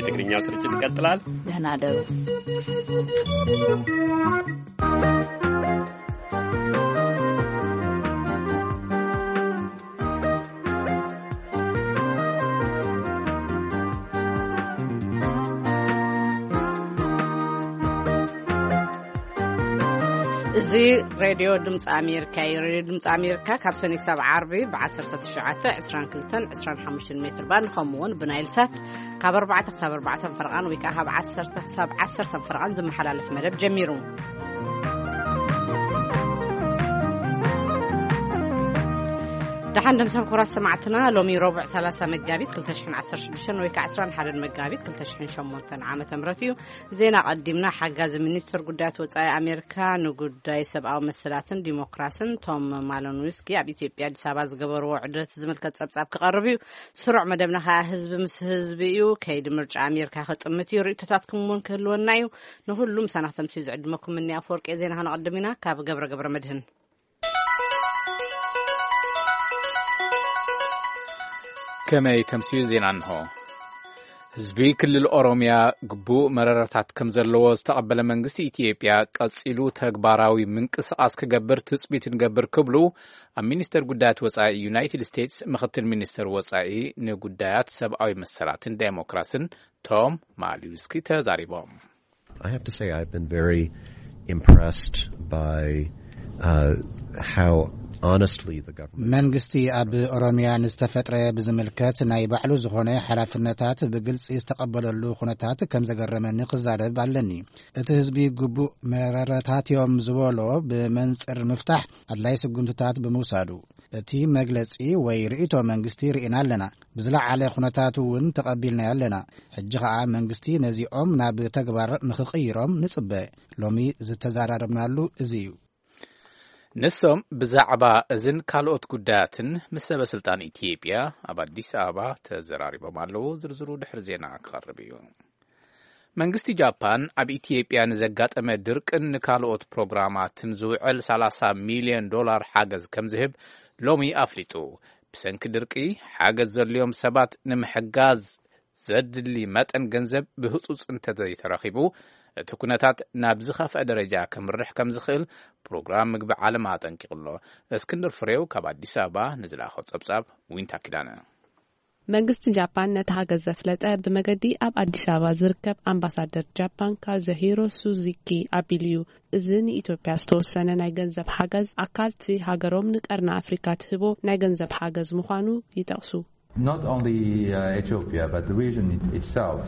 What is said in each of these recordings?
ትግርኛው ስርጭት ይቀጥላል። ደህና ደሩ። እዚ ሬድዮ ድምፂ ኣሜሪካ እዩ። ሬድዮ ድምፂ ኣሜሪካ ካብ ሰኒ ክሳብ ዓርቢ ብ19፣ 22፣ 25 ሜትር ባንድ፣ ከምኡ እውን ብናይል ሳት ካብ ኣርባዕተ ክሳብ ኣርባዕተ ፈረቓን ወይ ከዓ ካብ ዓሰርተ ክሳብ ዓሰርተ ፈረቓን ዝመሓላለፍ መደብ ጀሚሩ። ደሓን ደምሰም ክቡራት ሰማዕትና፣ ሎሚ ረቡዕ ሰላሳ መጋቢት ክልተ ሽሕን ዓሰርተ ሽዱሽተን ወይ ከዓ ዕስራን ሓደን መጋቢት ክልተ ሽሕን ሸሞንተን ዓመተ ምህረት እዩ። ዜና ቀዲምና። ሓጋዚ ሚኒስትር ጉዳያት ወጻኢ ኣሜሪካ ንጉዳይ ሰብኣዊ መሰላትን ዲሞክራስን ቶም ማሎንዊስኪ ኣብ ኢትዮጵያ ኣዲስ ኣበባ ዝገበርዎ ዑደት ዝምልከት ጸብጻብ ክቐርብ እዩ። ስሩዕ መደብና ከኣ ህዝቢ ምስ ህዝቢ እዩ። ከይዲ ምርጫ ኣሜሪካ ክጥምት እዩ። ርእይቶታትኩም እውን ክህልወና እዩ። ንኹሉ ምሳና ክተምስዩ ዝዕድመኩም እኒ ኣፈወርቂ ዜና ከነቐድም ኢና። ካብ ገብረ ገብረ መድህን። ከመይ ተምስዩ ዜና እንሆ። ህዝቢ ክልል ኦሮምያ ግቡእ መረረታት ከም ዘለዎ ዝተቐበለ መንግስቲ ኢትዮጵያ፣ ቀጺሉ ተግባራዊ ምንቅስቓስ ክገብር ትጽቢት ንገብር ክብሉ ኣብ ሚኒስተር ጉዳያት ወጻኢ ዩናይትድ ስቴትስ ምኽትል ሚኒስተር ወጻኢ ንጉዳያት ሰብኣዊ መሰላትን ዴሞክራስን ቶም ማሊውስኪ ተዛሪቦም። I have to say I've been very impressed by, uh, how honestly the government መንግስቲ ኣብ ኦሮምያ ንዝተፈጥረ ብዝምልከት ናይ ባዕሉ ዝኾነ ሓላፍነታት ብግልጺ ዝተቐበለሉ ኩነታት ከም ዘገረመኒ ክዛረብ ኣለኒ። እቲ ህዝቢ ግቡእ መረረታት እዮም ዝበሎ ብመንጽር ምፍታሕ ኣድላይ ስጉምትታት ብምውሳዱ፣ እቲ መግለጺ ወይ ርእይቶ መንግስቲ ርኢና ኣለና። ብዝለዓለ ኩነታት እውን ተቐቢልናዮ ኣለና። ሕጂ ኸኣ መንግስቲ ነዚኦም ናብ ተግባር ንኽቕይሮም ንጽበ። ሎሚ ዝተዘራረብናሉ እዚ እዩ። ንሶም ብዛዕባ እዝን ካልኦት ጉዳያትን ምስ ሰበ ስልጣን ኢትዮጵያ ኣብ ኣዲስ ኣበባ ተዘራሪቦም ኣለዉ። ዝርዝሩ ድሕሪ ዜና ክቐርብ እዩ። መንግስቲ ጃፓን ኣብ ኢትዮጵያ ንዘጋጠመ ድርቅን ንካልኦት ፕሮግራማትን ዝውዕል ሰላሳ ሚልዮን ዶላር ሓገዝ ከም ዝህብ ሎሚ ኣፍሊጡ። ብሰንኪ ድርቂ ሓገዝ ዘድልዮም ሰባት ንምሕጋዝ ዘድሊ መጠን ገንዘብ ብህጹጽ እንተዘይተረኺቡ፣ እቲ ኩነታት ናብ ዝኸፍአ ደረጃ ከምርሕ ከም ዝኽእል ፕሮግራም ምግቢ ዓለም ኣጠንቂቑ ኣሎ። እስክንድር ፍሬው ካብ ኣዲስ ኣበባ ንዝለኣኾ ጸብጻብ ዊንታ ኪዳነ። መንግስቲ ጃፓን ነቲ ሃገዝ ዘፍለጠ ብመገዲ ኣብ ኣዲስ ኣበባ ዝርከብ ኣምባሳደር ጃፓን ካዙሂሮ ሱዙኪ ኣቢሉ እዩ። እዚ ንኢትዮጵያ ዝተወሰነ ናይ ገንዘብ ሓገዝ ኣካል እቲ ሃገሮም ንቀርኒ ኣፍሪካ ትህቦ ናይ ገንዘብ ሓገዝ ምዃኑ ይጠቕሱ። Not only, uh, Ethiopia, but the region it- itself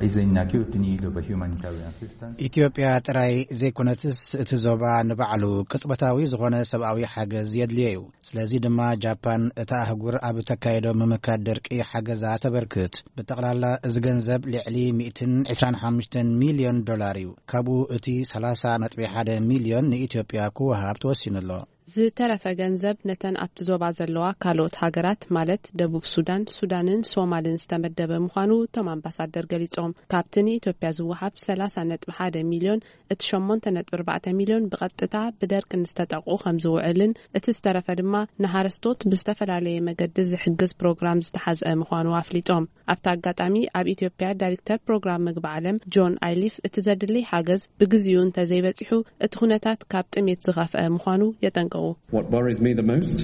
is in acute need of a humanitarian assistance. ኢትዮጵያ ጥራይ ዘይኮነትስ እቲ ዞባ ንባዕሉ ቅጽበታዊ ዝኾነ ሰብኣዊ ሓገዝ የድልዮ እዩ። ስለዚ ድማ ጃፓን እታ ኣህጉር ኣብ ተካየዶ ምምካት ደርቂ ሓገዛ ተበርክት። ብጠቕላላ እዚ ገንዘብ ልዕሊ ሚእትን ዕስራን ሓሙሽተን ሚልዮን ዶላር እዩ። ካብኡ እቲ ሰላሳ ነጥቢ ሓደ ሚልዮን ንኢትዮጵያ ክወሃብ ተወሲኑ ኣሎ። ዝተረፈ ገንዘብ ነተን ኣብቲ ዞባ ዘለዋ ካልኦት ሃገራት ማለት ደቡብ ሱዳን፣ ሱዳንን ሶማልን ዝተመደበ ምዃኑ እቶም ኣምባሳደር ገሊጾም። ካብቲ ንኢትዮጵያ ዝወሃብ ሰላሳ ነጥቢ ሓደ ሚልዮን እቲ ሸሞንተ ነጥቢ ኣርባዕተ ሚልዮን ብቐጥታ ብደርቂ ንዝተጠቕዑ ከም ዝውዕልን እቲ ዝተረፈ ድማ ንሃረስቶት ብዝተፈላለየ መገዲ ዝሕግዝ ፕሮግራም ዝተሓዝአ ምዃኑ ኣፍሊጦም። ኣብቲ ኣጋጣሚ ኣብ ኢትዮጵያ ዳይሬክተር ፕሮግራም ምግቢ ዓለም ጆን ኣይሊፍ እቲ ዘድሊ ሓገዝ ብግዚኡ እንተዘይበጺሑ እቲ ኩነታት ካብ ጥሜት ዝኸፍአ ምዃኑ የጠንቅቑ። What worries me the most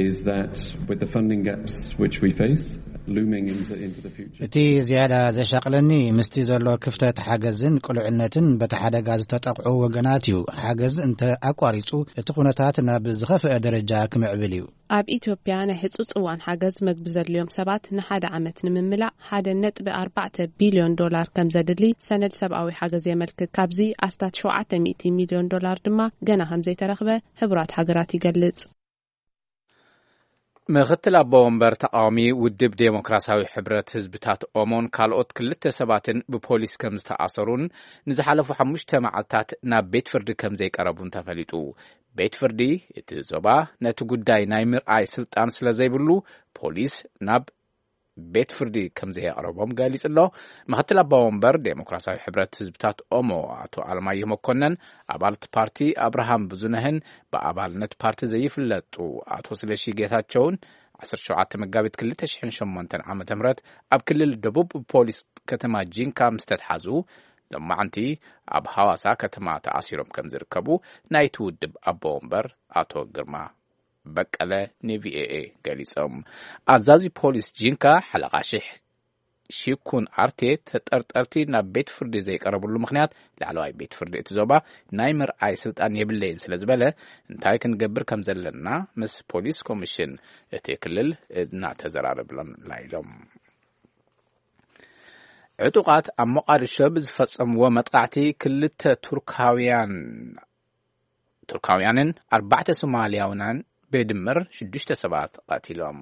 is that with the funding gaps which we face looming into, into the future. እቲ ዝያዳ ዘሻቕለኒ ምስቲ ዘሎ ክፍተት ሓገዝን ቅሉዕነትን በቲ ሓደጋ ዝተጠቕዑ ወገናት እዩ። ሓገዝ እንተ ኣቋሪጹ እቲ ኩነታት ናብ ዝኸፍአ ደረጃ ክምዕብል እዩ። ኣብ ኢትዮጵያ ናይ ሕጹጽ እዋን ሓገዝ መግቢ ዘድልዮም ሰባት ንሓደ ዓመት ንምምላእ ሓደ ነጥቢ ኣርባዕተ ቢልዮን ዶላር ከም ዘድሊ ሰነድ ሰብኣዊ ሓገዝ የመልክት። ካብዚ ኣስታት ሸውዓተ ሚእቲ ሚልዮን ዶላር ድማ ገና ከም ዘይተረኽበ ሕቡራት ሃገራት ይገልጽ። ምኽትል ኣቦ ወንበር ተቓዋሚ ውድብ ዴሞክራሲያዊ ሕብረት ህዝብታት ኦሞን ካልኦት ክልተ ሰባትን ብፖሊስ ከም ዝተኣሰሩን ንዝሓለፉ ሓሙሽተ መዓልታት ናብ ቤት ፍርዲ ከም ዘይቀረቡን ተፈሊጡ። ቤት ፍርዲ እቲ ዞባ ነቲ ጉዳይ ናይ ምርኣይ ስልጣን ስለ ዘይብሉ፣ ፖሊስ ናብ ቤት ፍርዲ ከም ዘየቕረቦም ገሊጹ ኣሎ። ምኽትል ኣባ ወንበር ዴሞክራሲያዊ ሕብረት ህዝብታት ኦሞ ኣቶ ኣለማየሁ መኮነን፣ ኣባልቲ ፓርቲ ኣብርሃም ብዙነህን ብኣባልነት ፓርቲ ዘይፍለጡ ኣቶ ስለሺ ጌታቸውን ዓሰርተ ሸውዓተ መጋቢት ክልተ ሽሕን ሸሞንተን ዓመተ ምህረት ኣብ ክልል ደቡብ ፖሊስ ከተማ ጂንካ ምስ ተትሓዙ፣ ሎማዓንቲ ኣብ ሃዋሳ ከተማ ተኣሲሮም ከም ዝርከቡ ናይቲ ውድብ ኣቦ ወንበር ኣቶ ግርማ በቀለ ንቪኦኤ ገሊጾም። ኣዛዚ ፖሊስ ጂንካ ሓለቓ ሽሕ ሺኩን ኣርቴ፣ ተጠርጠርቲ ናብ ቤት ፍርዲ ዘይቀረብሉ ምኽንያት ላዕለዋይ ቤት ፍርዲ እቲ ዞባ ናይ ምርኣይ ስልጣን የብለይን ስለ ዝበለ፣ እንታይ ክንገብር ከም ዘለና ምስ ፖሊስ ኮሚሽን እቲ ክልል እናተዘራረብና ኢሎም። ዕጡቓት ኣብ ሞቓዲሾ ብዝፈጸምዎ መጥቃዕቲ ክልተ ቱርካውያን ቱርካውያንን ኣርባዕተ ሶማልያውናን ብድምር ሽዱሽተ ሰባት ቀቲሎም።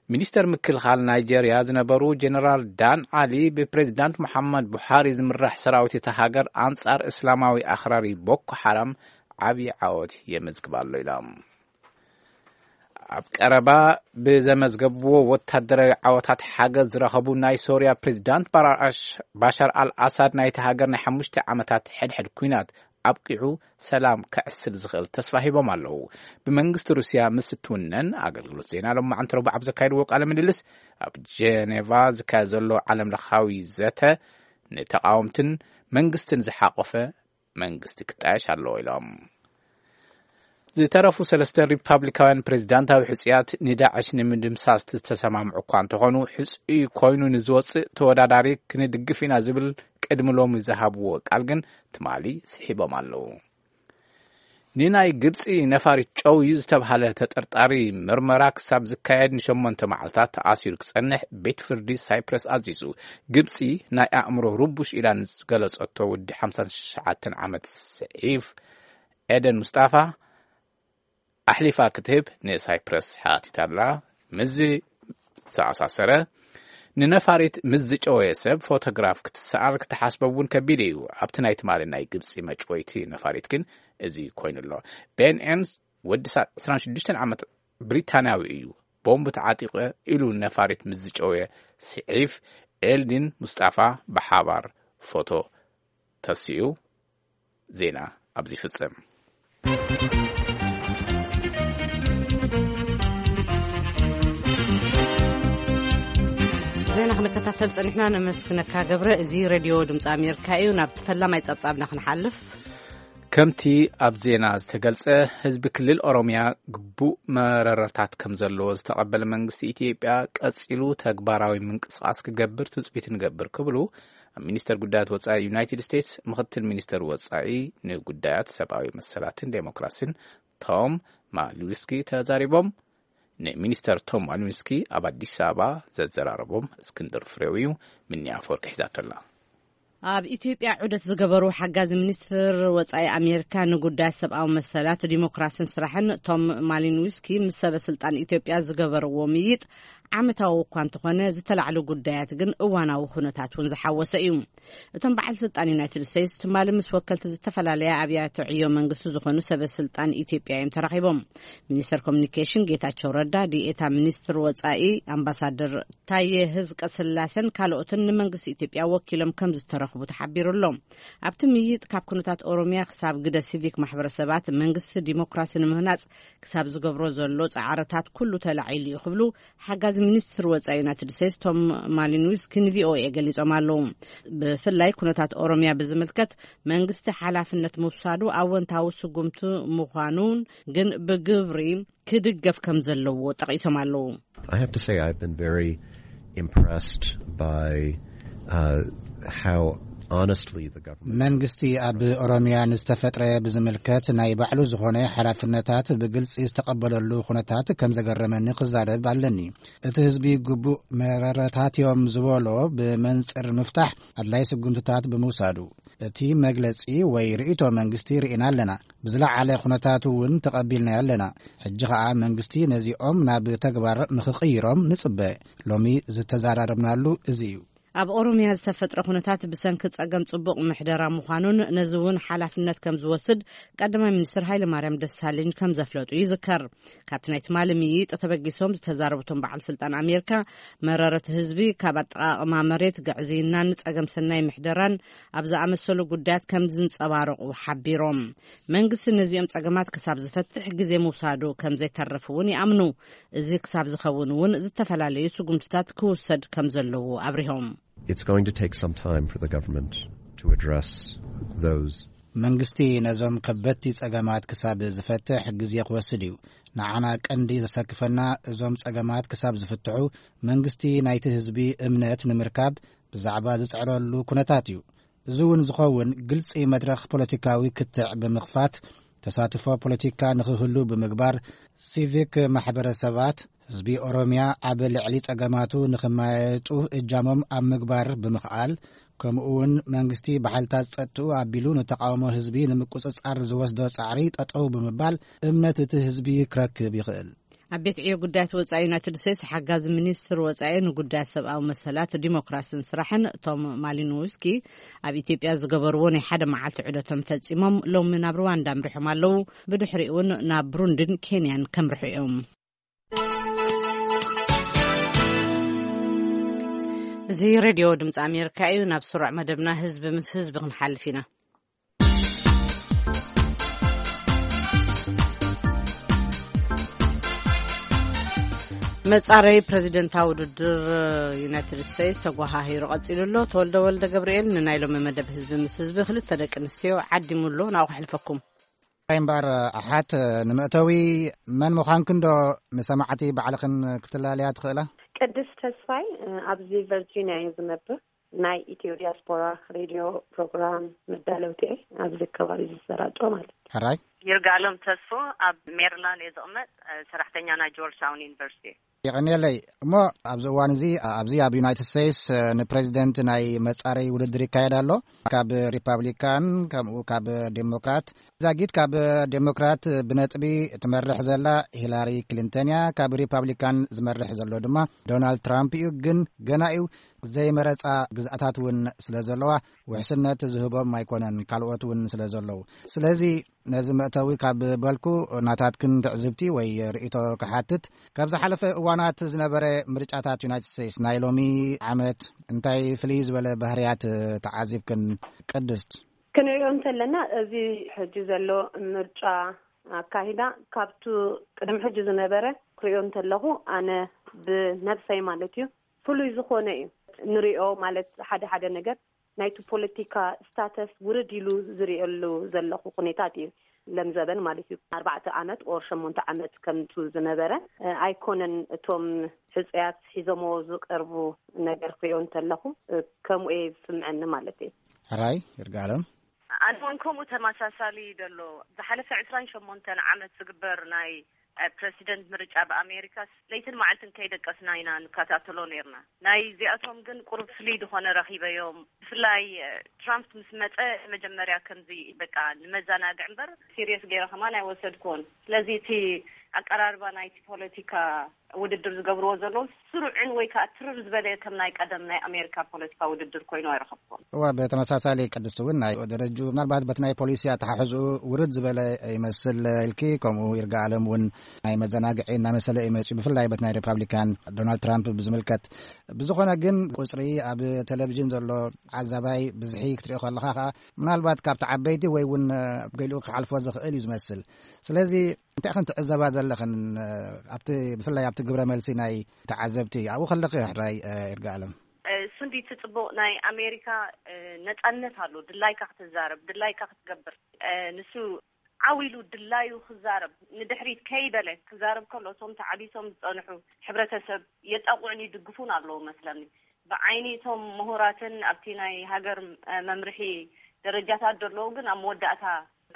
ሚኒስተር ምክልኻል ናይጀርያ ዝነበሩ ጀነራል ዳን ዓሊ፣ ብፕሬዚዳንት መሓመድ ቡሓሪ ዝምራሕ ሰራዊት እታ ሃገር ኣንጻር እስላማዊ ኣኽራሪ ቦኮ ሓራም ዓብዪ ዓወት የመዝግብ ኣሎ ኢሎም። ኣብ ቀረባ ብዘመዝገብዎ ወታደራዊ ዓወታት ሓገዝ ዝረኸቡ ናይ ሶርያ ፕሬዚዳንት ባራሽ-፣ ባሻር ኣል ኣሳድ፣ ናይቲ ሃገር ናይ ሓሙሽተ ዓመታት ሕድሕድ ኲናት ኣብቂዑ ሰላም ከዕስል ዝኽእል ተስፋ ሂቦም ኣለዉ። ብመንግስቲ ሩስያ ምስ እትውነን፣ ኣገልግሎት ዜና ሎማዓንቲ ረቡዕ ኣብ ዘካየድዎ ቃለ ምልልስ፣ ኣብ ጀኔቫ ዝካየድ ዘሎ ዓለም ለኻዊ ዘተ ንተቓወምትን መንግስትን ዝሓቆፈ መንግስቲ ክጣየሽ ኣለዎ ኢሎም። ዝተረፉ ሰለስተ ሪፓብሊካውያን ፕሬዚዳንታዊ ሕጹያት ንዳዕሽ ንምድምሳስ ዝተሰማምዑ እኳ እንተኾኑ፣ ሕጹይ ኮይኑ ንዝወጽእ ተወዳዳሪ ክንድግፍ ኢና ዝብል ቅድሚ ሎሚ ዝሃብዎ ቃል ግን ትማሊ ስሒቦም ኣለዉ። ንናይ ግብጺ ነፋሪት ጨውዩ ዝተብሃለ ተጠርጣሪ ምርመራ ክሳብ ዝካየድ ንሸሞንተ መዓልታት ተኣሲሩ ክጸንሕ ቤት ፍርዲ ሳይፕረስ ኣዚዙ። ግብጺ ናይ ኣእምሮ ርቡሽ ኢላ ንዝገለጸቶ ወዲ ሓምሳን ትሽዓተን ዓመት ስዒፍ ኤደን ሙስጣፋ ኣሕሊፋ ክትህብ ንሳይፕረስ ሓቲታ ኣላ። ምስዚ ዝተኣሳሰረ፣ ንነፋሪት ምስ ዝጨወየ ሰብ ፎቶግራፍ ክትሰኣል ክትሓስቦ እውን ከቢድ እዩ። ኣብቲ ናይ ትማሊ ናይ ግብጺ መጭወይቲ ነፋሪት ግን እዚ ኮይኑ ኣሎ። ቤን ኤርንስ ወዲ ዕስራን ሽዱሽተን ዓመት ብሪታንያዊ እዩ። ቦምብ ተዓጢቐ ኢሉ ነፋሪት ምስ ዝጨወየ ስዒፍ ኤልዲን ሙስጣፋ ብሓባር ፎቶ ተሲኡ። ዜና ኣብዚ ይፍጽም። ዜና ክንከታተል ጸኒሕና፣ ነመስግነካ ገብረ። እዚ ሬድዮ ድምፂ ኣሜሪካ እዩ። ናብ ፈላማይ ጸብጻብና ክንሓልፍ። ከምቲ ኣብ ዜና ዝተገልጸ፣ ህዝቢ ክልል ኦሮምያ ግቡእ መረረታት ከም ዘለዎ ዝተቐበለ መንግስቲ ኢትዮጵያ፣ ቀጺሉ ተግባራዊ ምንቅስቓስ ክገብር ትጽቢት ንገብር ክብሉ ኣብ ሚኒስተር ጉዳያት ወጻኢ ዩናይትድ ስቴትስ ምኽትል ሚኒስተር ወጻኢ ንጉዳያት ሰብኣዊ መሰላትን ዴሞክራሲን ቶም ማሊንስኪ ተዛሪቦም። ንሚኒስተር ቶም ማሊንስኪ ኣብ ኣዲስ ኣበባ ዘዘራረቦም እስክንድር ፍሬው እዩ። ምንያ ኣፈወርቂ ሒዛቶ ኣላ። ኣብ ኢትዮጵያ ዑደት ዝገበሩ ሓጋዚ ሚኒስትር ወጻኢ ኣሜሪካ ንጉዳያት ሰብኣዊ መሰላት፣ ዲሞክራሲን ስራሕን ቶም ማሊንስኪ ምስ ሰበ ስልጣን ኢትዮጵያ ዝገበርዎ ምይጥ ዓመታዊ እኳ እንተኾነ፣ ዝተላዕሉ ጉዳያት ግን እዋናዊ ኩነታት እውን ዝሓወሰ እዩ። እቶም በዓል ስልጣን ዩናይትድ ስቴትስ ትማሊ ምስ ወከልቲ ዝተፈላለያ ኣብያተ ዕዮ መንግስቲ ዝኾኑ ሰበ ስልጣን ኢትዮጵያ እዮም ተራኺቦም። ሚኒስተር ኮሚኒኬሽን ጌታቸው ረዳ፣ ዲኤታ ሚኒስትር ወጻኢ ኣምባሳደር ታየ ህዝቀ ስላሰን ካልኦትን ንመንግስቲ ኢትዮጵያ ወኪሎም ከም ዝተረኽቡ ተሓቢሩ ኣሎ። ኣብቲ ምይጥ፣ ካብ ኩነታት ኦሮሚያ ክሳብ ግደ ሲቪክ ማሕበረሰባት፣ መንግስቲ ዲሞክራሲ ንምህናጽ ክሳብ ዝገብሮ ዘሎ ጻዕርታት ኩሉ ተላዒሉ እዩ ክብሉ ሓጋዚ ሚኒስትር ወጻኢ ዩናይትድ ስቴትስ ቶም ማሊንስኪ ንቪኦኤ ገሊጾም ኣለዉ። ብፍላይ ኩነታት ኦሮሚያ ብዝምልከት መንግስቲ ሓላፍነት ምውሳዱ ኣወንታዊ ስጉምቲ ምዃኑን ግን ብግብሪ ክድገፍ ከም ዘለዎ ጠቒሶም ኣለዉ። I have to say I've been very impressed by uh, how honestly the government መንግስቲ ኣብ ኦሮሚያ ንዝተፈጥረ ብዝምልከት ናይ ባዕሉ ዝኾነ ሓላፍነታት ብግልጺ ዝተቐበለሉ ኩነታት ከም ዘገረመኒ ክዛረብ ኣለኒ። እቲ ህዝቢ ግቡእ መረረታት እዮም ዝበሎ ብመንጽር ምፍታሕ ኣድላይ ስጉምትታት ብምውሳዱ፣ እቲ መግለጺ ወይ ርእይቶ መንግስቲ ርኢና ኣለና። ብዝለዓለ ኩነታት እውን ተቐቢልናዮ ኣለና። ሕጂ ኸኣ መንግስቲ ነዚኦም ናብ ተግባር ንኽቕይሮም ንጽበ። ሎሚ ዝተዘራረብናሉ እዚ እዩ። ኣብ ኦሮምያ ዝተፈጥረ ኩነታት ብሰንኪ ጸገም ጽቡቕ ምሕደራ ምዃኑን ነዚ እውን ሓላፍነት ከም ዝወስድ ቀዳማይ ሚኒስትር ሃይለማርያም ደሳለኝ ከም ዘፍለጡ ይዝከር። ካብቲ ናይ ትማሊ ምይይጥ ተበጊሶም ዝተዛረቡ እቶም በዓል ስልጣን ኣሜሪካ፣ መረረት ህዝቢ ካብ ኣጠቓቕማ መሬት፣ ግዕዝይናን ጸገም ሰናይ ምሕደራን ኣብ ዝኣመሰሉ ጉዳያት ከም ዝንጸባረቑ ሓቢሮም። መንግስቲ ነዚኦም ጸገማት ክሳብ ዝፈትሕ ግዜ ምውሳዱ ከም ዘይተርፍ እውን ይኣምኑ። እዚ ክሳብ ዝኸውን እውን ዝተፈላለዩ ስጉምትታት ክውሰድ ከም ዘለዎ ኣብሪሆም። It's going to take some time for the government to address those. መንግስቲ ነዞም ከበድቲ ጸገማት ክሳብ ዝፈትሕ ግዜ ክወስድ እዩ። ንዓና ቀንዲ ዘሰክፈና እዞም ጸገማት ክሳብ ዝፍትሑ መንግስቲ ናይቲ ህዝቢ እምነት ንምርካብ ብዛዕባ ዝጽዕረሉ ኩነታት እዩ። እዚ እውን ዝኸውን ግልጺ መድረኽ ፖለቲካዊ ክትዕ ብምኽፋት፣ ተሳትፎ ፖለቲካ ንኽህሉ ብምግባር፣ ሲቪክ ማሕበረሰባት ህዝቢ ኦሮምያ ኣብ ልዕሊ ጸገማቱ ንኽመያየጡ እጃሞም ኣብ ምግባር ብምኽኣል፣ ከምኡ እውን መንግስቲ ብሓይልታት ጸጥኡ ኣቢሉ ንተቃውሞ ህዝቢ ንምቁጽጻር ዝወስዶ ጻዕሪ ጠጠው ብምባል እምነት እቲ ህዝቢ ክረክብ ይኽእል። ኣብ ቤት ዕዮ ጉዳያት ወጻኢ ዩናይትድ ስቴትስ ሓጋዚ ሚኒስትር ወጻኢ ንጉዳያት ሰብኣዊ መሰላት፣ ዲሞክራሲን ስራሕን ቶም ማሊኖውስኪ ኣብ ኢትዮጵያ ዝገበርዎ ናይ ሓደ መዓልቲ ዑደቶም ፈጺሞም ሎሚ ናብ ሩዋንዳ ኣምሪሖም ኣለዉ። ብድሕሪኡ እውን ናብ ብሩንድን ኬንያን ከምርሑ እዮም። እዚ ሬድዮ ድምፂ ኣሜሪካ እዩ። ናብ ስሩዕ መደብና ህዝቢ ምስ ህዝቢ ክንሓልፍ ኢና። መጻረይ ፕረዚደንታዊ ውድድር ዩናይትድ ስቴትስ ተጓሃሂሩ ቀጺሉ ኣሎ። ተወልደ ወልደ ገብርኤል ንናይ ሎሚ መደብ ህዝቢ ምስ ህዝቢ ክልተ ደቂ ኣንስትዮ ዓዲሙ ኣሎ። ናብኡ ከሕልፈኩም። እምበር ኣሓት፣ ንመእተዊ መን ምዃንክን ዶ ንሰማዕቲ ባዕልኽን ክትላለያ ትኽእላ? ቅድስት ተስፋይ፣ ኣብዚ ቨርጂኒያ እየ ዝነብር። ናይ ኢትዮ ዲያስፖራ ሬድዮ ፕሮግራም መዳለውቲ እየ፣ ኣብዚ ከባቢ ዝሰራጮ ማለት እዩ። ሕራይ። ይርጋለም ተስፎ፣ ኣብ ሜሪላንድ እየ ዝቕመጥ፣ ሰራሕተኛ ናይ ጆርጅ ታውን ዩኒቨርሲቲ እየ። የቐንየለይ። እሞ ኣብዚ እዋን እዚ ኣብዚ ኣብ ዩናይትድ ስቴትስ ንፕሬዚደንት ናይ መጻረይ ውድድር ይካየድ ኣሎ። ካብ ሪፓብሊካን ከምኡ ካብ ዴሞክራት። ዛጊት ካብ ዴሞክራት ብነጥቢ ትመርሕ ዘላ ሂላሪ ክሊንተን እያ። ካብ ሪፓብሊካን ዝመርሕ ዘሎ ድማ ዶናልድ ትራምፕ እዩ። ግን ገና እዩ። ዘይመረጻ ግዝኣታት እውን ስለ ዘለዋ ውሕስነት ዝህቦም ኣይኮነን፣ ካልኦት እውን ስለ ዘለዉ። ስለዚ ነዚ መእተዊ ካብ በልኩ ናታትክን ትዕዝብቲ ወይ ርእይቶ ክሓትት። ካብ ዝሓለፈ እዋናት ዝነበረ ምርጫታት ዩናይትድ ስቴትስ ናይ ሎሚ ዓመት እንታይ ፍልይ ዝበለ ባህርያት ተዓዚብክን ቅድስት? ክንሪኦ እንተለና እዚ ሕጂ ዘሎ ምርጫ ኣካሂዳ ካብቱ ቅድሚ ሕጂ ዝነበረ ክሪኦ እንተለኹ ኣነ ብነብሰይ ማለት እዩ ፍሉይ ዝኾነ እዩ ንሪኦ ማለት ሓደ ሓደ ነገር ናይቲ ፖለቲካ ስታተስ ውርድ ኢሉ ዝሪኦሉ ዘለኹ ኩነታት እዩ። ለምዘበን ማለት እዩ ኣርባዕተ ዓመት ኦር ሸሞንተ ዓመት ከምቱ ዝነበረ ኣይኮነን። እቶም ሕፀያት ሒዞሞ ዝቀርቡ ነገር ክሪኦ እንተለኹ ከምኡ እየ ዝስምዐኒ ማለት እዩ። ሕራይ ይርጋለም። ኣነ እውን ከምኡ ተመሳሳሊ ዘሎ ዝሓለፈ ዕስራን ሸሞንተን ዓመት ዝግበር ናይ ፕረሲደንት ምርጫ ብኣሜሪካስ ለይትን መዓልትን ከይደቀስና ኢና ንከታተሎ ነርና። ናይ እዚኣቶም ግን ቁሩብ ፍልይ ዝኾነ ረኺበዮም። ብፍላይ ትራምፕ ምስ መጸ መጀመርያ ከምዚ በቃ ንመዘናግዕ እምበር ሲሪየስ ገይረ ከማን ኣይወሰድኩዎን። ስለዚ እቲ ኣቀራርባ ናይቲ ፖለቲካ ውድድር ዝገብርዎ ዘለዉ ስሩዕን ወይ ከዓ ትርር ዝበለ ከም ናይ ቀደም ናይ ኣሜሪካ ፖለቲካ ውድድር ኮይኑ ኣይረኸብኩዎን። እዋ ብተመሳሳሊ ቅድስቲ እውን ናይ ደረጅኡ ምናልባት በቲ ናይ ፖሊሲ ኣተሓሕዝኡ ውርድ ዝበለ ይመስል ኢልኪ፣ ከምኡ ይርጋ ኣለም እውን ናይ መዘናግዒ እናመሰለ እዩ መፅኡ፣ ብፍላይ በቲ ናይ ሪፓብሊካን ዶናልድ ትራምፕ ብዝምልከት። ብዝኾነ ግን ቁፅሪ ኣብ ቴሌቪዥን ዘሎ ዓዛባይ ብዝሒ ክትሪኦ ከለኻ ከዓ ምናልባት ካብቲ ዓበይቲ ወይ እውን ገሊኡ ክሓልፎ ዝኽእል እዩ ዝመስል። ስለዚ እንታይ ኸን ትዕዘባ ዘለኽን ኣብቲ ብፍላይ ኣብቲ ግብረ መልሲ ናይ ተዓዘብቲ ኣብኡ ከለኺ ሕራይ ይርጋ ኣለም? እሱ እንዲ እቲ ፅቡቕ ናይ ኣሜሪካ ነፃነት ኣሎ። ድላይካ ክትዛረብ፣ ድላይካ ክትገብር። ንሱ ዓው ኢሉ ድላዩ ክዛረብ ንድሕሪት ከይበለ ክዛረብ ከሎ እቶም ተዓቢሶም ዝፀንሑ ሕብረተሰብ የጣቑዕን ይድግፉን ኣለዉ መስለኒ። ብዓይኒ እቶም ምሁራትን ኣብቲ ናይ ሃገር መምርሒ ደረጃታት ዘለዉ ግን ኣብ መወዳእታ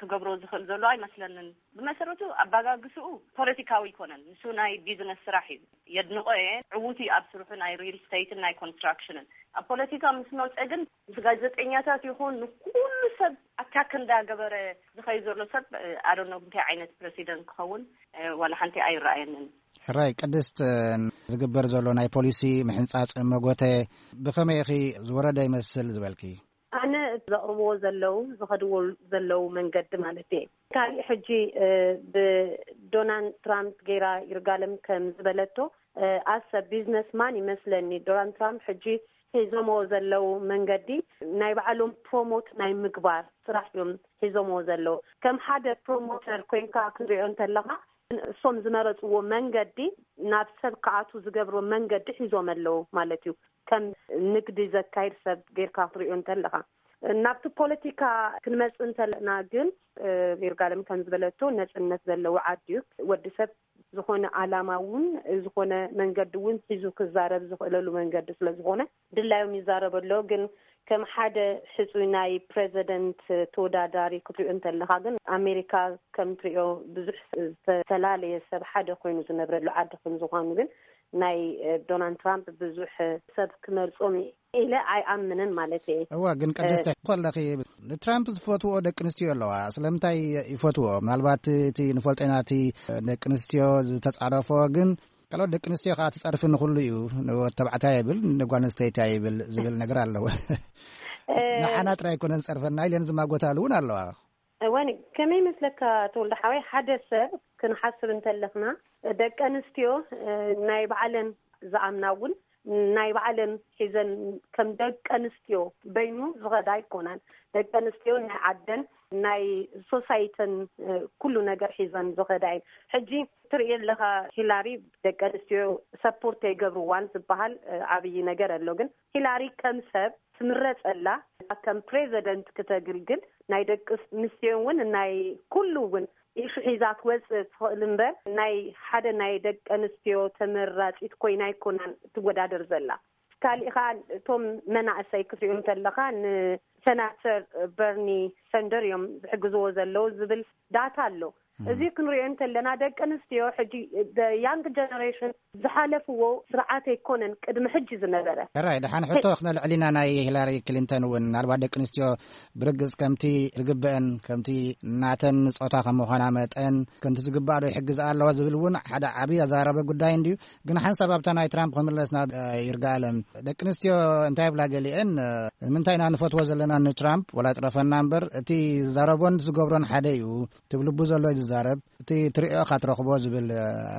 ክገብሮ ዝኽእል ዘሎ ኣይመስለንን። ብመሰረቱ ኣባጋግስኡ ፖለቲካዊ ኣይኮነን። ንሱ ናይ ቢዝነስ ስራሕ እዩ። የድንቆ እየ። ዕዉት እዩ ኣብ ስርሑ ናይ ሪል ስቴትን ናይ ኮንስትራክሽንን። ኣብ ፖለቲካ ምስ መፀ ግን ምስ ጋዜጠኛታት ይኹን ንኩሉ ሰብ ኣታክ እንዳገበረ ዝኸይ ዘሎ ሰብ ኣዶኖ እንታይ ዓይነት ፕረሲደንት ክኸውን ዋላ ሓንቲ ኣይረኣየንን። ሕራይ ቅድስት፣ ዝግበር ዘሎ ናይ ፖሊሲ ምሕንጻጽ መጎተ ብኸመይ ኢኺ ዝወረደ ይመስል ዝበልኪ? ኣነ ዘቕርብዎ ዘለዉ ዝኸድዎ ዘለዉ መንገዲ ማለት እየ። ካሊእ ሕጂ ብዶናልድ ትራምፕ ገይራ ይርጋለም ከም ዝበለቶ ኣሰ ቢዝነስማን ይመስለኒ። ዶናልድ ትራምፕ ሕጂ ሒዞሞ ዘለዉ መንገዲ ናይ ባዕሎም ፕሮሞት ናይ ምግባር ስራሕ እዮም ሒዞሞ ዘለዉ። ከም ሓደ ፕሮሞተር ኮይንካ ክንሪኦ እንተለኻ እሶም ዝመረፅዎ መንገዲ ናብ ሰብ ክኣቱ ዝገብሮ መንገዲ ሒዞም ኣለዉ ማለት እዩ። ከም ንግዲ ዘካይድ ሰብ ጌርካ ክትሪኦ እንተለኻ ናብቲ ፖለቲካ ክንመጽእ እንተለና ግን ይርጋለም ከም ዝበለቶ ነጽነት ዘለዎ ዓዲ እዩ። ወዲ ሰብ ዝኾነ ዓላማ እውን ዝኾነ መንገዲ እውን ሒዙ ክዛረብ ዝኽእለሉ መንገዲ ስለ ዝኾነ ድላዮም ይዛረብ ኣሎ። ግን ከም ሓደ ሕፁይ ናይ ፕሬዚደንት ተወዳዳሪ ክትሪኦ እንተለኻ ግን ኣሜሪካ ከም ትሪኦ ብዙሕ ዝተፈላለየ ሰብ ሓደ ኮይኑ ዝነብረሉ ዓዲ ከም ዝኾኑ ግን ናይ ዶናልድ ትራምፕ ብዙሕ ሰብ ክመርጾም ኢለ ኣይኣምንን ማለት እየ። እዋ ግን ቅድስቲ ከለኺ ንትራምፕ ዝፈትዎ ደቂ ኣንስትዮ ኣለዋ። ስለምንታይ ይፈትዎ? ምናልባት እቲ ንፈልጦ ኢና እቲ ደቂ ኣንስትዮ ዝተጻረፎ ግን ካልኦት ደቂ ኣንስትዮ ከዓ ትጸርፊ ንኹሉ እዩ። ንወድ ተባዕታይ ይብል ንጓል ኣንስተይቲ ይብል ዝብል ነገር ኣለዎ። ንዓና ጥራይ ኣይኮነን ዝጸርፈና ኢለን ዝማጎታሉ እውን ኣለዋ። እወን ከመይ ይመስለካ ተወልደ ሓወይ፣ ሓደ ሰብ ክንሓስብ እንተለኽና ደቂ ኣንስትዮ ናይ ባዕለን ዝኣምና እውን ናይ ባዕለን ሒዘን ከም ደቂ ኣንስትዮ በይኑ ዝኸዳ ኣይኮናን። ደቂ ኣንስትዮ ናይ ዓደን ናይ ሶሳይተን ኩሉ ነገር ሒዘን ዝኸዳ እየን። ሕጂ ትርኢ ኣለኻ ሂላሪ ደቂ ኣንስትዮ ሰፖርት ኣይገብርዋን ዝበሃል ዓብዪ ነገር ኣሎ። ግን ሂላሪ ከም ሰብ ትምረጸላ ከም ፕሬዚደንት ክተግልግል ናይ ደቂ ኣንስትዮ እውን ናይ ኩሉ እውን ኢሹ ሒዛ ክወፅእ ትኽእል እምበር ናይ ሓደ ናይ ደቂ ኣንስትዮ ተመራፂት ኮይና ኣይኮናን ትወዳደር ዘላ። ካሊእ ከዓ እቶም መናእሰይ ክትሪኡ እንተለካ ንሰናተር በርኒ ሰንደር እዮም ዝሕግዝዎ ዘለዉ ዝብል ዳታ ኣሎ። እዚ ክንሪኦ እንተለና ደቂ ኣንስትዮ ሕጂ ያንግ ጀነሬሽን ዝሓለፍዎ ስርዓት ኣይኮነን ቅድሚ ሕጂ ዝነበረ። ሕራይ ደሓን ሕቶ ክነልዕል ኢና ናይ ሂላሪ ክሊንተን እውን ምናልባት ደቂ ኣንስትዮ ብርግጽ ከምቲ ዝግበአን ከምቲ ናተን ጾታ ከም ምዃና መጠን ከምቲ ዝግባእ ዶ ይሕግዝ ኣለዋ ዝብል እውን ሓደ ዓብዪ ኣዘራረበ ጉዳይ እንድዩ። ግን ሓንሳብ ኣብታ ናይ ትራምፕ ክምለስ ናብ ይርጋለም ደቂ ኣንስትዮ እንታይ ብላ ገሊአን ንምንታይ ኢና ንፈትዎ ዘለና ንትራምፕ ወላ ጥረፈና እምበር እቲ ዝዛረቦን ዝገብሮን ሓደ እዩ። ትብልቡ ዘሎ እዩ ዝዛረብ። እቲ ትሪኦ ኢኻ ትረኽቦ ዝብል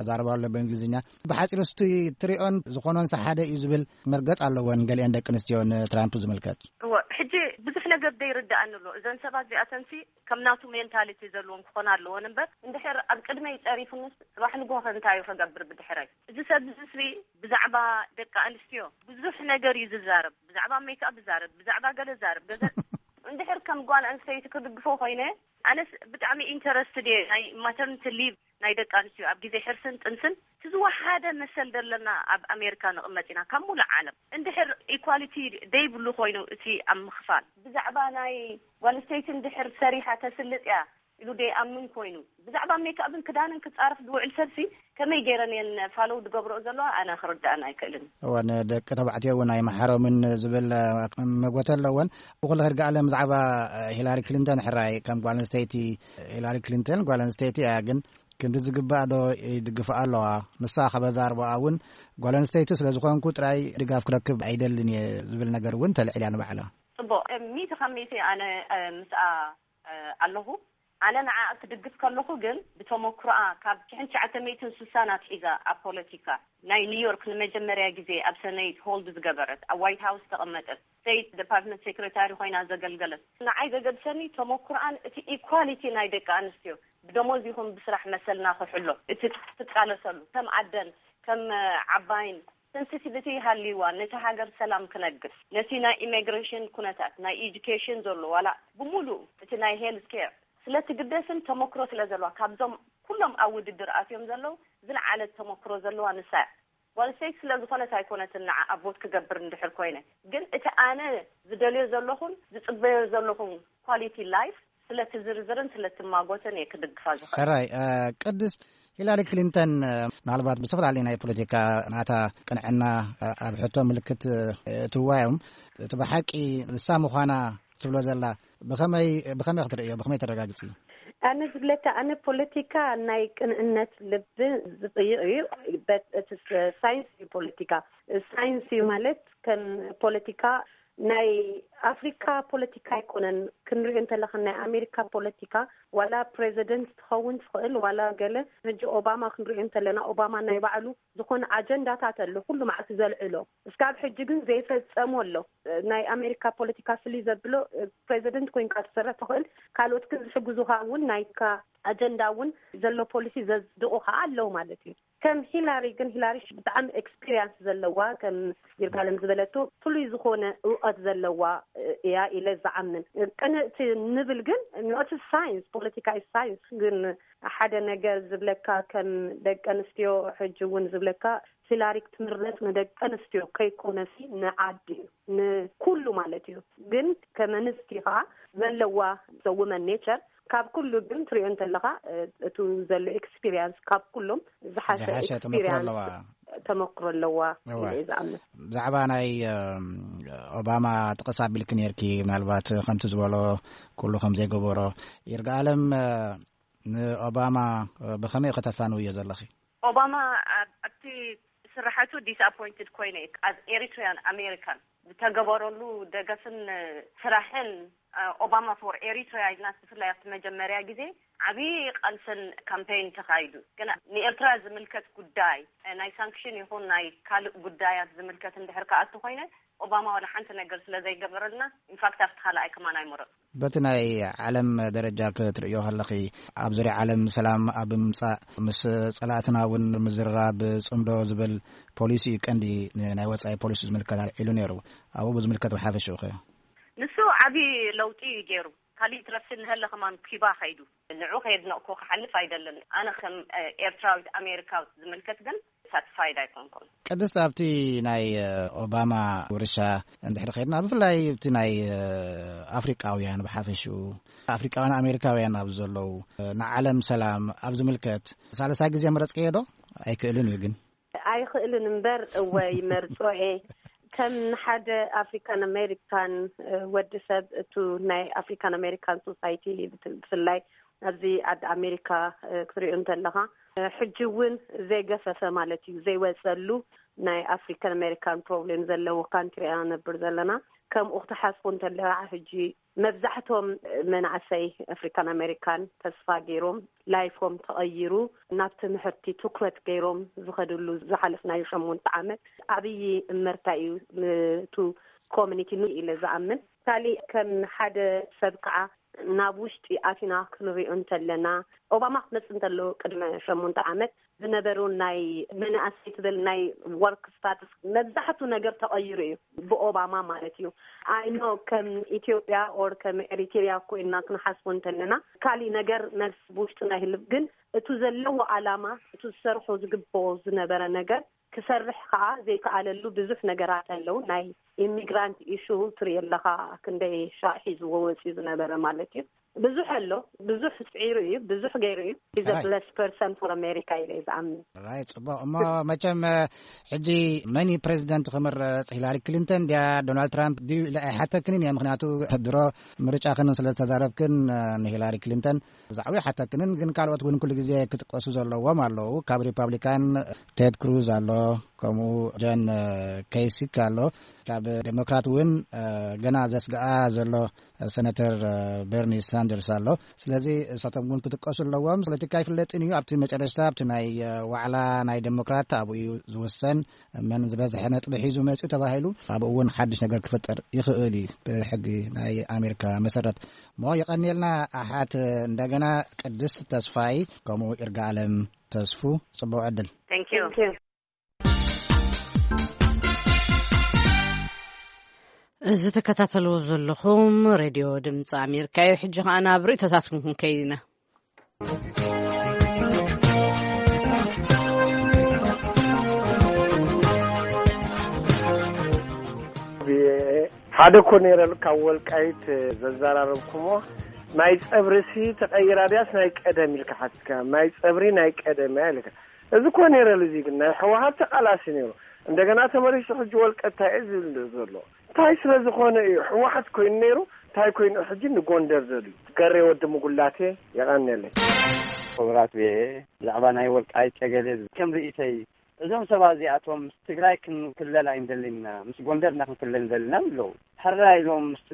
ኣዛርባ ኣሎ ብእንግሊዝኛ። ብሓፂሩ እቲ ትሪኦን ዝኾኖን ሓደ እዩ ዝብል መርገፅ ኣለወን ገሊአን ደቂ ኣንስትዮ ንትራምፕ ዝምልከት። እወ ሕጂ ብዙሕ ነገር ዘይርድኣኒ ኣሎ። እዘን ሰባት እዚኣተንሲ ከም ናቱ ሜንታሊቲ ዘለዎም ክኾና ኣለወን እምበር እንድሕር ኣብ ቅድመይ ፀሪፉንስ ፅባሕ ንግሆ ከ እንታይ እዩ ከገብር ብድሕረይ? እዚ ሰብ እዚ ስሪ ብዛዕባ ደቂ ኣንስትዮ ብዙሕ ነገር እዩ ዝዛረብ። ብዛዕባ ሜክኣፕ ይዛረብ፣ ብዛዕባ ገለ ይዛረብ። ገዘ እንድሕር ከም ጓል ኣንስተይቲ ክድግፎ ኮይነ ኣነስ ብጣዕሚ ኢንተረስትድ እየ ናይ ማተርኒቲ ሊቭ ናይ ደቂ ኣንስትዮ ኣብ ግዜ ሕርስን ጥንስን እቲ ዝወሓደ መሰል ዘለና ኣብ ኣሜሪካ ንቕመጥ ኢና ካብ ሙሉእ ዓለም። እንድሕር ኢኳሊቲ ደይብሉ ኮይኑ እቲ ኣብ ምኽፋል ብዛዕባ ናይ ጓል ኣንስተይቲ እንድሕር ሰሪሓ ተስልጥ እያ ኢሉ ደይኣምን ኮይኑ ብዛዕባ ሜክኣፕን ክዳንን ክጻረፍ ዝውዕል ሰብሲ ከመይ ገይረን እየን ፋሎው ዝገብረኦ ዘለዋ ኣነ ክርድኣን ኣይክእልን። እወን ደቂ ተባዕትዮ እውን ኣይመሓሮምን ዝብል መጎተ ኣለወን። ብኩሉ ከድገኣለም ብዛዕባ ሂላሪ ክሊንተን ሕራይ ከም ጓል ኣንስተይቲ ሂላሪ ክሊንተን ጓል ኣንስተይቲ እያ ግን ክንዲ ዝግባእ ዶ ይድግፍኣ ኣለዋ? ንሳ ከበዛርባኣ እውን ጓል ኣንስተይቲ ስለ ዝኾንኩ ጥራይ ድጋፍ ክረክብ ኣይደልን እየ ዝብል ነገር እውን ተልዕል እያ ንባዕላ። ጽቡቕ ሚእቲ ካብ ሚእቲ ኣነ ምስኣ ኣለኹ። ኣነ ንዓኣ ክድግፍ ከለኹ ግን ብተመክሮኣ ካብ ሽሕን ትሽዓተ ሚእትን ስሳን ኣትሒዛ ኣብ ፖለቲካ ናይ ኒውዮርክ ንመጀመርያ ግዜ ኣብ ሰነይት ሆልድ ዝገበረት ኣብ ዋይት ሃውስ ተቐመጠት ስቴት ዲፓርትመንት ሴክሬታሪ ኮይና ዘገልገለት ንዓይ ዘገድሰኒ ተመክሮኣን እቲ ኢኳሊቲ ናይ ደቂ ኣንስትዮ ብደሞዝ ይኹን ብስራሕ መሰልና ክሕሎ እቲ ትቃለሰሉ ከም ኣደን ከም ዓባይን ሰንሲቲቪቲ ሃልይዋ ነቲ ሃገር ሰላም ክነግስ ነቲ ናይ ኢሚግሬሽን ኩነታት ናይ ኤጁኬሽን ዘሎ ዋላ ብምሉእ እቲ ናይ ሄልት ኬር ስለ ትግደስን ተመክሮ ስለ ዘለዋ ካብዞም ኩሎም ኣብ ውድድር ኣትዮም ዘለዉ ዝለዓለት ተመክሮ ዘለዋ ንሳ እያ። ጓል ኣንስተይቲ ስለ ዝኾነት ኣይኮነትን ንዓኣ ቮት ክገብር እንድሕር ኮይነ ግን እቲ ኣነ ዝደልዮ ዘለኹን ዝጽበዮ ዘለኹን ኳሊቲ ላይፍ ስለ ትዝርዝርን ስለ ትማጎትን እየ ክድግፋ ዝኽእል። ሕራይ ቅድስት ሂላሪ ክሊንተን ምናልባት ብዝተፈላለዩ ናይ ፖለቲካ ናታ ቅንዕና ኣብ ሕቶ ምልክት እትዋዮም፣ እቲ ብሓቂ ንሳ ምዃና ትብሎ ዘላ ብኸመይ ብኸመይ ክትርእዮ፣ ብኸመይ ተረጋግጽ እዩ? ኣነ ዝብለካ፣ ኣነ ፖለቲካ ናይ ቅንዕነት ልቢ ዝጥይቕ እዩ። በት እቲ ስ- ሳይንስ እዩ ፖለቲካ። ሳይንስ እዩ ማለት ከም ፖለቲካ ናይ ኣፍሪካ ፖለቲካ ኣይኮነን። ክንሪኦ እንተለካ ናይ ኣሜሪካ ፖለቲካ ዋላ ፕሬዚደንት ትኸውን ትኽእል ዋላ ገለ። ሕጂ ኦባማ ክንሪኦ እንተለና ኦባማ ናይ ባዕሉ ዝኾነ ኣጀንዳታት ኣሎ፣ ኩሉ መዓልቲ ዘልዕሎ። እስካብ ሕጂ ግን ዘይፈጸሞ ኣሎ። ናይ ኣሜሪካ ፖለቲካ ፍልይ ዘብሎ ፕሬዚደንት ኮይንካ ትሰርሕ ትኽእል፣ ካልኦት ግን ዝሕግዙኻ እውን ናይካ ኣጀንዳ እውን ዘሎ ፖሊሲ ዘጽድቑ ከዓ ኣለዉ ማለት እዩ። ከም ሂላሪ ግን ሂላሪ ብጣዕሚ ኤክስፒሪንስ ዘለዋ ከም ይርጋለም ዝበለቶ ፍሉይ ዝኾነ እውቀት ዘለዋ እያ ኢለ ዝዓምን። ቅንእቲ ንብል ግን ኖት ሳይንስ ፖለቲካ ሳይንስ ግን ሓደ ነገር ዝብለካ ከም ደቂ ኣንስትዮ ሕጂ እውን ዝብለካ ሂላሪ ክትምረጽ ንደቂ ኣንስትዮ ከይኮነሲ ንዓዲ እዩ ንኩሉ ማለት እዩ። ግን ከም ኣንስቲ ከዓ ዘለዋ ዘውመን ኔቸር ካብ ኩሉ ግን ትሪኦ እንተለኻ እቱ ዘሎ ኤክስፒሪንስ ካብ ኩሎም ዝሓሸ ዝሓሸ ተመክሮ ኤክስፒሪንስ ኣለዋ። ተመክሮ ኣለዋ እዋ። ኢለ እየ ዝኣምን። ብዛዕባ ናይ ኦባማ ጥቕስ ኣቢልክ ነርኪ ምናልባት ከምቲ ዝበሎ ኩሉ ከም ዘይገበሮ ይርጋ ኣለም ንኦባማ ብኸመይ ከተፋንውዮ ዘለኺ? ኦባማ ኣብቲ ስራሓቱ ዲስኣፖይንትድ ኮይነ፣ ኣብ ኤሪትሪያን ኣሜሪካን ዝተገበረሉ ደገፍን ስራሕን ኦባማ ፎር ኤሪትሪያ ኢልና ብፍላይ ኣብቲ መጀመርያ ግዜ ዓብዪ ቃልስን ካምፔይን ተኻይዱ። ግን ንኤርትራ ዝምልከት ጉዳይ ናይ ሳንክሽን ይኹን ናይ ካልእ ጉዳያት ዝምልከት እንድሕር ከኣ እንተኾይነ ኦባማ ዋላ ሓንቲ ነገር ስለ ዘይገበረልና ኢንፋክት ኣብቲ ካልኣይ ከማን ኣይመረጽኩ። በቲ ናይ ዓለም ደረጃ ክትርእዮ ከለኺ ኣብ ዙርያ ዓለም ሰላም ኣብ ምምጻእ ምስ ጸላእትና እውን ምዝርራብ ጽምዶ ዝብል ፖሊሲ እዩ ቀንዲ ናይ ወጻኢ ፖሊሲ ዝምልከት ኣልዒሉ ነይሩ። ኣብኡ ብዝምልከት ብሓፈሽኡ ኸ? ንሱ ዓብዪ ለውጢ እዩ ገይሩ። ካልእ ትረፍሲ ንሀለ ከማን ኪባ ኸይዱ ንዑ ከየድነቕኩ ክሓልፍ ኣይደልን። ኣነ ከም ኤርትራዊት ኣሜሪካዊት ዝምልከት ግን ሳትስፋይድ ኣይኮንኩን። ቅድስት ኣብቲ ናይ ኦባማ ውርሻ እንድሕር ኸይድና ብፍላይ ኣብቲ ናይ ኣፍሪቃውያን ብሓፈሽኡ ኣፍሪቃውያን ኣሜሪካውያን ኣብ ዘለዉ ንዓለም ሰላም ኣብ ዝምልከት ሳልሳይ ግዜ መረጽክዮ ዶ? ኣይክእልን እዩ ግን ኣይኽእልን እምበር እወ ይመርጾ እየ። ከም ንሓደ ኣፍሪካን ኣሜሪካን ወዲ ሰብ እቱ ናይ ኣፍሪካን ኣሜሪካን ሶሳይቲ ብፍላይ ኣብዚ ዓዲ ኣሜሪካ ክትሪኦ እንተለኻ ሕጂ እውን ዘይገፈፈ ማለት እዩ ዘይወፀሉ ናይ ኣፍሪካን ኣሜሪካን ፕሮብሌም ዘለዎ ካንትሪ ኢና ነብር ዘለና። ከምኡ ክትሓስቦ እንተለኻ ሕጂ መብዛሕቶም መናእሰይ ኣፍሪካን ኣሜሪካን ተስፋ ገይሮም ላይፎም ተቐይሩ ናብ ትምህርቲ ትኩረት ገይሮም ዝኸድሉ ዝሓለፍናዩ ሸሞንተ ዓመት ኣብይ እመርታ እዩ። ንቱ ኮሚኒቲ ኑ ኢለ ዝኣምን ካሊእ ከም ሓደ ሰብ ከዓ ናብ ውሽጢ ኣቲና ክንሪኦ እንተለና ኦባማ ክትመፅእ እንተለዎ ቅድመ ሸሞንተ ዓመት ዝነበሩ ናይ መናእሰይ ትብል ናይ ወርክ ስታትስ መብዛሕቱ ነገር ተቐይሩ እዩ ብኦባማ ማለት እዩ። ኣይኖ ከም ኢትዮጵያ ኦር ከም ኤሪትሪያ ኮይና ክንሓስቦ እንተለና ካሊእ ነገር መልስ ብውሽጥና ይህልብ ግን እቱ ዘለዎ ኣላማ እቱ ዝሰርሖ ዝግብኦ ዝነበረ ነገር ክሰርሕ ከዓ ዘይከኣለሉ ብዙሕ ነገራት ኣለዉ። ናይ ኢሚግራንት ኢሹ ትርኢ ኣለኻ ክንደይ ሻዕ ሒዝዎ ወፅዩ ዝነበረ ማለት እዩ። ብዙሕ ኣሎ። ብዙሕ ፅዒሩ እዩ። ብዙሕ ገይሩ እዩ። He's a right. Blessed person for America ኢለ እዩ ዝኣምን። Right. ፅቡቅ እሞ መቸም ሕጂ መን እዩ ፕሬዚደንት ክምረፅ ሂላሪ ክሊንተን ድያ ዶናልድ ትራምፕ ድዩ ኢለ ኣይሓተክንን እየ። ምክንያቱ ድሮ ምርጫ ክን ስለ ዝተዛረብክን ንሂላሪ ክሊንተን ብዛዕባ ሓተክንን ግን ካልኦት እውን ኩሉ ግዜ ክጥቀሱ ዘለዎም ኣለዉ። ካብ ሪፓብሊካን ቴድ ክሩዝ ኣሎ፣ ከምኡ ጀን ከይሲክ ኣሎ። ካብ ዴሞክራት እውን ገና ዘስግኣ ዘሎ ሰነተር በርኒ ሳንደርስ ኣሎ። ስለዚ እሳቶም እውን ክጥቀሱ ኣለዎም። ፖለቲካ ይፍለጥን እዩ። ኣብቲ መጨረሽታ ኣብቲ ናይ ዋዕላ ናይ ዴሞክራት ኣብኡ እዩ ዝውሰን። መን ዝበዝሐ ነጥቢ ሒዙ መፅኡ ተባሂሉ ኣብኡ እውን ሓድሽ ነገር ክፈጠር ይኽእል እዩ ብሕጊ ናይ ኣሜሪካ መሰረት። እሞ የቐንየልና ኣሓት እንደገና ቅድስት ተስፋይ ከምኡ ይርጋ ኣለም ተስፉ። ፅቡቅ ዕድል። Thank you. እዚ ተከታተልዎ ዘለኹም ሬድዮ ድምፂ ኣሜሪካ እዩ። ሕጂ ከዓ ናብ ርእቶታትኩም ክንከይድ ኢና። ሓደ እኮ ነይረ ካብ ወልቃይት ዘዘራረብኩሞ ናይ ጸብርሲ ተቐይራ ድያስ ናይ ቀደም ኢልካ ሓቲትካ፣ ናይ ጸብሪ ናይ ቀደም እያ ኢልካ። እዚ እኮ ነይረ፣ እዚ ግን ናይ ህወሓት ተቓላሲ ነይሩ። እንደገና ተመሊሱ ሕጂ ወልቀ እንታይ እዩ ዝብል ዘሎ? እንታይ ስለ ዝኾነ እዩ ህወሓት ኮይኑ ነይሩ? እንታይ ኮይኑ ሕጂ ንጎንደር ዘድልዩ? ገሬ ወዲ ምጉላቴ፣ የቐንየለይ። ክቡራት ብሔ፣ ብዛዕባ ናይ ወልቃይት ጸገዴ ከም ርእይተይ፣ እዞም ሰባት እዚኣቶም ምስ ትግራይ ክንክለል ኣይንደልን ኢና፣ ምስ ጎንደር ኢና ክንክለል ንደሊ ኢና ኣለዉ። ሕራይ ኢሎም ምስ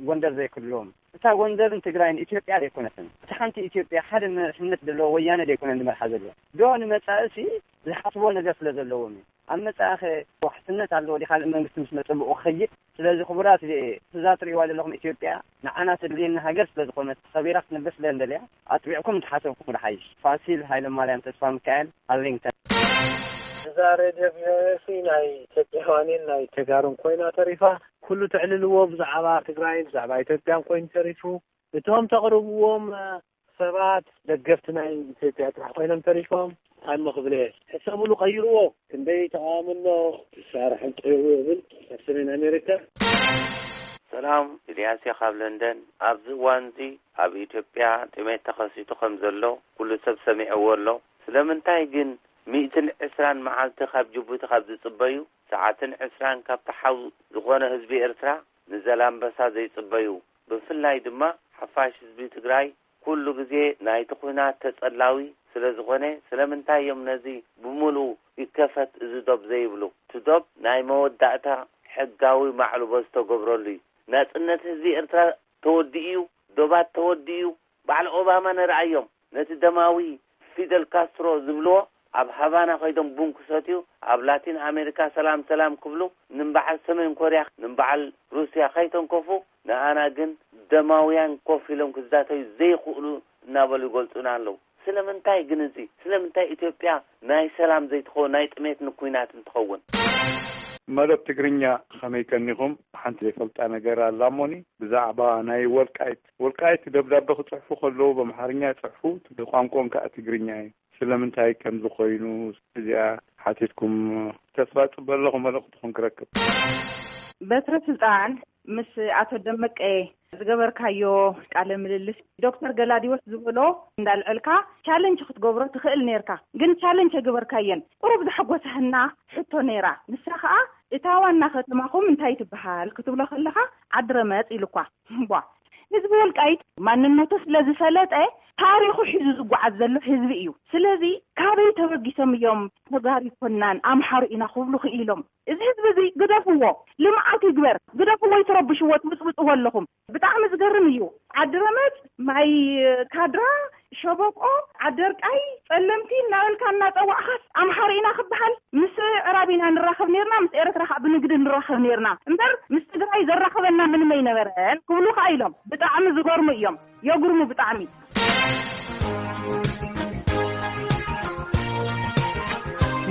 ጎንደር ዘይክልሎም፣ እታ ጎንደርን ትግራይን ኢትዮጵያ ዘይኮነትን። እታ ሓንቲ ኢትዮጵያ፣ ሓደ መሪሕነት ዘለዎ ወያነ ዘይኮነን ዝመርሓ ዘሎ። ዶ ንመጻእሲ ዝሓስቦ ነገር ስለ ዘለዎም እዩ። ኣብ መጻእኸ ዋሕስነት ኣለዎ ድዩ? ካልእ መንግስቲ ምስ መጸ ብኡ ክኸይድ። ስለዚ ክቡራት፣ እዛ ትርእይዋ ዘለኹም ኢትዮጵያ ንዓና ተድልየና ሃገር ስለ ዝኾነት፣ ተኸቢራ ክትነብር ስለ እንደልያ፣ ኣጥቢዕኩም እንተሓሰብኩም ዝሓይሽ። ፋሲል ሃይለማርያም ተስፋ ሚካኤል፣ ኣርሊንግተን። እዛ ሬድዮ ቪኦኤ ሲ ናይ ኢትዮጵያውያንን ናይ ተጋሩን ኮይና ተሪፋ። ኩሉ ትዕልልዎ ብዛዕባ ትግራይ፣ ብዛዕባ ኢትዮጵያን ኮይኑ ተሪፉ። እቶም ተቕርብዎም ሰባት ደገፍቲ ናይ ኢትዮጵያ ጥራሕ ኮይኖም ተሪፎም። እንታይ እሞ ክብል እየ? ሕሰብሉ፣ ቀይርዎ። ክንደይ ተቓውሞ ኣሎ፣ ክሳርሕን ቀይርዎ ይብል ኣብ ሰሜን ኣሜሪካ። ሰላም፣ ኢልያስ እየ ካብ ለንደን። ኣብዚ እዋን እዚ ኣብ ኢትዮጵያ ጥሜት ተኸሲቱ ከም ዘሎ ኩሉ ሰብ ሰሚዕዎ ኣሎ። ስለምንታይ ግን ሚእትን ዕስራን መዓልቲ ካብ ጅቡቲ ካብ ዝጽበዩ፣ ሰዓትን ዕስራን ካብ ተሓው ዝኾነ ህዝቢ ኤርትራ ንዘላንበሳ ዘይጽበዩ? ብፍላይ ድማ ሓፋሽ ህዝቢ ትግራይ ኩሉ ግዜ ናይቲ ኲናት ተጸላዊ ስለ ዝኾነ፣ ስለምንታይ እዮም ነዚ ብምሉኡ ይከፈት እዚ ዶብ ዘይብሉ? እቲ ዶብ ናይ መወዳእታ ሕጋዊ ማዕልቦ ዝተገብረሉ እዩ። ናጽነት ህዝቢ ኤርትራ ተወዲኡ እዩ። ዶባት ተወዲኡ እዩ። በዓል ኦባማ ንርኣዮም። ነቲ ደማዊ ፊደል ካስትሮ ዝብልዎ ኣብ ሃቫና ከይዶም ቡን ክሰትዩ፣ ኣብ ላቲን ኣሜሪካ ሰላም ሰላም ክብሉ፣ ንበዓል ሰሜን ኮርያ፣ ንበዓል ሩስያ ከይተንከፉ፣ ንኣና ግን ደማውያን ኮፍ ኢሎም ክዛተዩ ዘይኽእሉ እናበሉ ይገልጹና ኣለዉ። ስለምንታይ ግን እዚ? ስለምንታይ ኢትዮጵያ ናይ ሰላም ዘይትኸውን፣ ናይ ጥሜት ንኲናት እንትኸውን? መደብ ትግርኛ ከመይ ቀኒኹም? ሓንቲ ዘይፈልጣ ነገር ኣላ እሞኒ፣ ብዛዕባ ናይ ወልቃይት፣ ወልቃይት ደብዳበ ክጽሕፉ ከለዉ ብኣምሓርኛ ይጽሕፉ፣ ቋንቋኦም ከኣ ትግርኛ እዩ። ስለምንታይ ከምዚ ኮይኑ፣ እዚኣ ሓቲትኩም ተስፋ ጽበ ኣለኹ መልእኽትኹም ክረክብ። በትረ ስልጣን ምስ ኣቶ ደመቀ ዝገበርካዮ ቃለ ምልልስ፣ ዶክተር ገላዲዎስ ዝበሎ እንዳልዐልካ ቻለንጅ ክትገብሮ ትኽእል ነርካ፣ ግን ቻለንጅ ኣይገበርካየን። ቁሩብ ዘሐጎሰህና ሕቶ ነይራ። ንሳ ኸኣ፣ እታ ዋና ከተማኹም እንታይ ትበሃል ክትብሎ ከለኻ፣ ዓዲ ረመጽ ኢሉኳ። እምቧ፣ ህዝቢ ወልቃይት ማንነቱ ስለ ዝፈለጠ፣ ታሪኹ ሒዙ ዝጓዓዝ ዘሎ ህዝቢ እዩ። ስለዚ ካበይ ተበጊሶም እዮም ተጋሩ ይኮናን ኣምሓሩ ኢና ክብሉ ክኢሎም? እዚ ህዝቢ እዚ ግደፍዎ፣ ልምዓት ይግበር፣ ግደፍዎ፣ ይትረብሽዎ፣ ትብፅብፅዎ ኣለኹም። ብጣዕሚ ዝገርም እዩ። ዓዲ ረመፅ፣ ማይ ካድራ፣ ሸበቆ፣ ዓደርቃይ፣ ጸለምቲ እናበልካ እናጸዋዕኻስ ኣምሓሩ ኢና ክበሃል? ምስ ኣዕራብ ኢና ንራኸብ ኔርና፣ ምስ ኤርትራ ኸኣ ብንግዲ ንራኸብ ኔርና እምበር፣ ምስ ትግራይ ዘራኽበና ምንም ኣይነበረን ክብሉ ኸኣ ኢሎም። ብጣዕሚ ዝገርሙ እዮም። የጉርሙ ብጣዕሚ።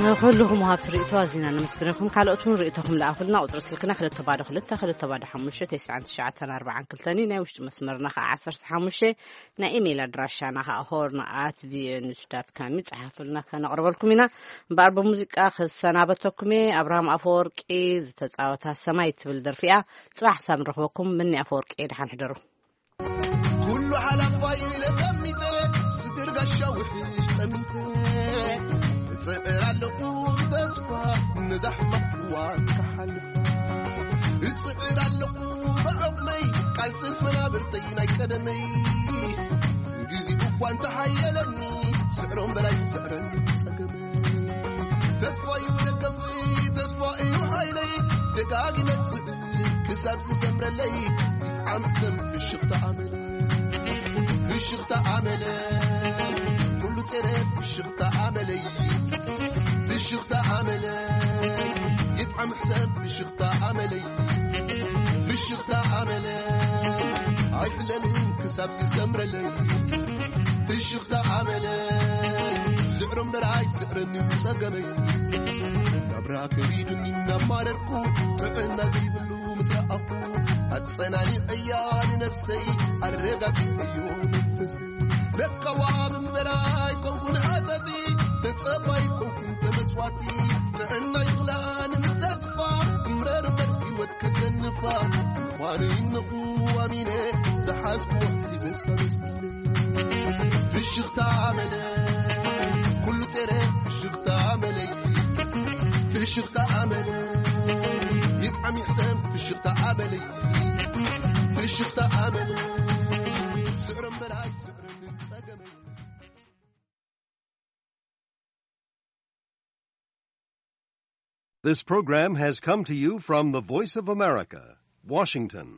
ንኹልኹም ወሃብቲ ርእይቶ ኣዚና ነመስግነኩም። ካልኦት እውን ርእይቶኹም ለኣኹልና። ቁጽሪ ስልክና ክልተ ባዶ ክልተ፣ ክልተ ባዶ ሓሙሽተ፣ ተስዓን ትሽዓተን ኣርባዓን ክልተን እዩ። ናይ ውሽጢ መስመርና ኸዓ ዓሰርተ ሓሙሽተ። ናይ ኢሜይል ኣድራሻና ኸዓ ሆርን ኣት ቪኦኤ ኒውስ ዳት ካም እዩ። ጸሓፉልና፣ ከነቕርበልኩም ኢና። እምበኣር ብሙዚቃ ክሰናበተኩም እየ። ኣብርሃም ኣፈወርቂ ዝተጻወታ ሰማይ ትብል ደርፊ እያ። ጽባሕ ሳብ ንረኽበኩም። ምኒ ኣፈወርቂ እየ። ደሓን ሕደሩ። ኩሉ ሓላፋይ ኢለ ጠሚተ፣ ስግር ጋሻ ውሕሽ ጠሚተ፣ እጽዕር ኣለኹ ብተስፋ ነዛ ሕማቕ እዋን ክሓልፍ። እጽዕር ኣለኹ ብዓቕመይ፣ ቃልስስ መናብርተይ ናይ ቀደመይ። ግዜ እኳ እንተሓየለኒ፣ ስዕሮም በላይ ዝስዕረኒ ጸገመይ። ተስፋ እዩ ደገፈይ፣ ተስፋ እዩ ሓይለይ፣ ደጋጊመ ክሳብ ዝሰምረለይ። ይጥዓም ሰብ ፍሽኽታ ኣመለ፣ ፍሽኽታ ኣመለ፣ ኩሉ ጸረ ፍሽኽታ ኣመለይ። ፍሽኽታ ኣመለ፣ ይጥዓም ሰብ ፍሽኽታ ኣመለይ። ፍሽኽታ ኣመለ፣ ኣይሕለልን ክሳብ ዝሰምረለይ። ፍሽኽታ ኣመለ፣ ስዕሮ እምበር ኣይስዕረኒ ጸገመይ። ናብራ ከቢዱኒ እናማረርኩ፣ ጥዕና ዘይብሉ ምስ ረኣኹ፣ ኣጸናኒዐያ ንነፍሰይ፣ ኣረጋጊዐዮ መንፈሰይ። ለካ ወሃብ እምበር ኣይኮንኩን ሃተቲ፣ ተጸባይ ኣይኮንኩን ተመጽዋቲ። ጥዕና ይኽላኒ ምስ ተስፋ፣ እምረር እምበር ህይወት ከሰንፋ። እንኳን ይነኹ ኣሚነ ዝሓዝኩ ሒዘ ሰለስቲነ ፍሽኽታ ኣመለ ኩሉ ጸረ ፍሽኽታ ኣመለይ ፍሽኽታ ኣመለ ይጥዓም ይሕሰም ፍሽኽታ ኣመለይ ፍሽኽታ ኣመለ ስዕሮም በላይ ስዕሮም ጸገመይ This program has come to you from the Voice of America, Washington.